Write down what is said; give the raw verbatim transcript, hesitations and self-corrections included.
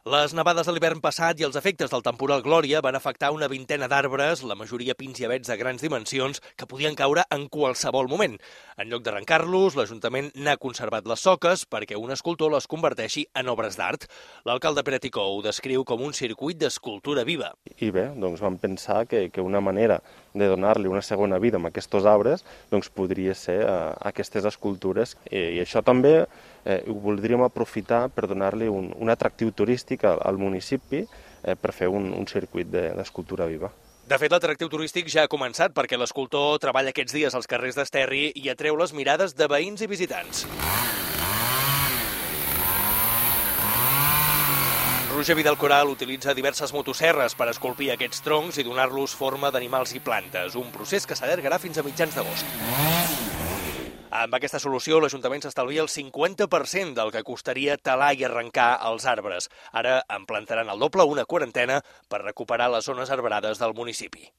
Les nevades de l'hivern passat i els efectes del temporal Glòria van afectar una vintena d'arbres, la majoria pins i avets de grans dimensions, que podien caure en qualsevol moment. En lloc d'arrencar-los, l'Ajuntament n'ha conservat les soques perquè un escultor les converteixi en obres d'art. L'alcalde Pere Ticó ho descriu com un circuit d'escultura viva. I bé, doncs vam pensar que, que una manera de donar-li una segona vida a aquests arbres doncs podria ser eh, aquestes escultures. I, i això també eh, ho voldríem aprofitar per donar-li un, un atractiu turístic al, al municipi eh, per fer un, un circuit d'escultura viva. De fet, l'atractiu turístic ja ha començat perquè l'escultor treballa aquests dies als carrers d'Esterri i atreu les mirades de veïns i visitants. Roger Vidal Coral utilitza diverses motosserres per esculpir aquests troncs i donar-los forma d'animals i plantes, un procés que s'allargarà fins a mitjans d'agost. Amb aquesta solució, l'Ajuntament s'estalvia el cinquanta per cent del que costaria talar i arrencar els arbres. Ara en plantaran el doble, una quarantena, per recuperar les zones arbrades del municipi.